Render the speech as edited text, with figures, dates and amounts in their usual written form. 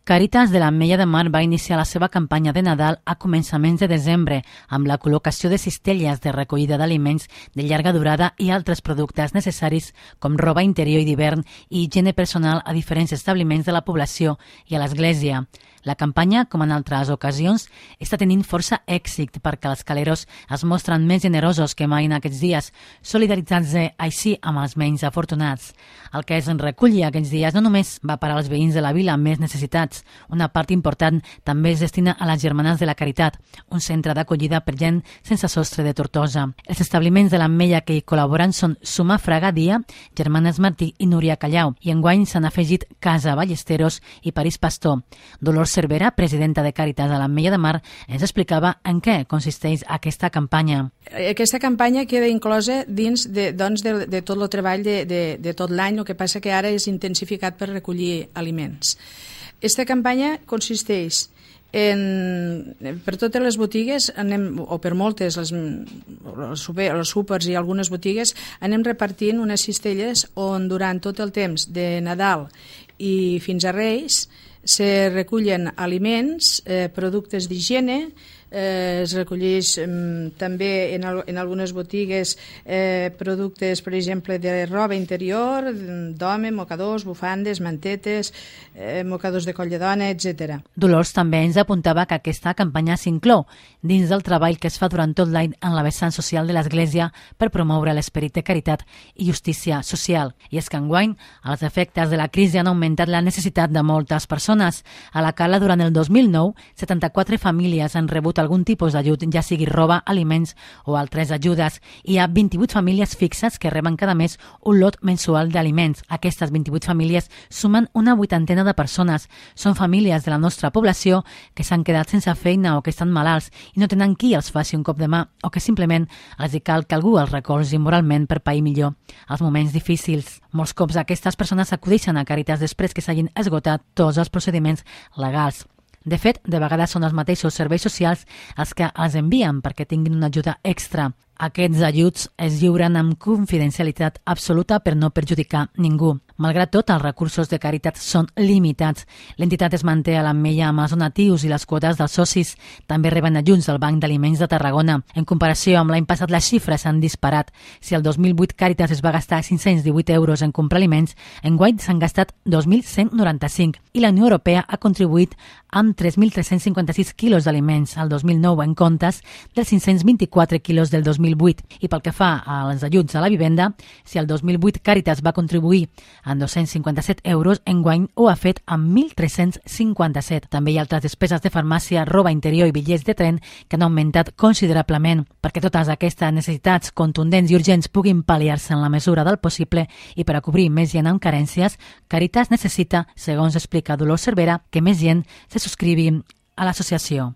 Càritas de l'Ametlla de Mar va iniciar la seva campanya de Nadal a començaments de desembre amb la col·locació de cistelles de recollida d'aliments de llarga durada i altres productes necessaris com roba interior i d'hivern i higiene personal a diferents establiments de la població i a l'església. La campanya, com en altres ocasions, està tenint força èxit perquè els caleros es mostren més generosos que mai en aquests dies, solidaritzant-se així amb els menys afortunats. El que es reculli aquests dies no només va per als veïns de la vila més necessitats. Una part important també es destina a les Germanes de la Caritat, un centre d'acollida per gent sense sostre de Tortosa. Els establiments de l'Ametlla que hi col·laboren són Suma Fraga Dia, Germanes Martí i Núria Callau, i enguany s'han afegit Casa Ballesteros i París Pastor. Dolors Cervera, presidenta de Càritas a l'Ametlla de Mar, ens explicava en què consisteix aquesta campanya. Aquesta campanya queda inclosa dins de tot el treball de tot l'any, el que passa que ara és intensificat per recollir aliments. Aquesta campanya consisteix per totes les botigues, o per moltes, els súpers i algunes botigues, anem repartint unes cistelles on durant tot el temps de Nadal i fins a Reis se recullen aliments, productes d'higiene, es recolleix també en algunes botigues productes, per exemple, de roba interior, d'home, mocadors, bufandes, mantetes, mocadors de coll de dona, etc. Dolors també ens apuntava que aquesta campanya s'inclou dins del treball que es fa durant tot l'any en la vessant social de l'Església per promoure l'esperit de caritat i justícia social. I és que enguany els efectes de la crisi han augmentat la necessitat de moltes persones. A la Cala, durant el 2009, 74 famílies han rebut algun tipus d'ajut, ja sigui roba, aliments o altres ajudes. Hi ha 28 famílies fixes que reben cada mes un lot mensual d'aliments. Aquestes 28 famílies sumen una vuitantena de persones. Són famílies de la nostra població que s'han quedat sense feina o que estan malalts i no tenen qui els faci un cop de mà o que simplement els hi cal que algú els recolzi moralment per pair millor els moments difícils. Molts cops aquestes persones acudeixen a Càritas després que s'hagin esgotat tots els procediments legals. De fet, de vegades són els mateixos serveis socials els que els envien perquè tinguin una ajuda extra. Aquests ajuts es lliuren amb confidencialitat absoluta per no perjudicar ningú. Malgrat tot, els recursos de Càritas són limitats. L'entitat es manté a l'Ametlla amb els donatius i les quotes dels socis. També reben ajuts del Banc d'Aliments de Tarragona. En comparació amb l'any passat, les xifres s'han disparat. Si el 2008 Càritas es va gastar 518 euros en comprar aliments, enguany s'han gastat 2.195 i la Unió Europea ha contribuït amb 3.356 quilos d'aliments al 2009 en comptes dels 524 quilos del 2008. I pel que fa als ajuts a la vivenda, si el 2008 Càritas va contribuir amb 257 euros, enguany ho ha fet amb 1.357. També hi ha altres despeses de farmàcia, roba interior i bitllets de tren que han augmentat considerablement. Perquè totes aquestes necessitats contundents i urgents puguin pal·liar-se en la mesura del possible i per a cobrir més gent amb carències, Càritas necessita, segons explica Dolors Cervera, que més gent se subscrivi a l'associació.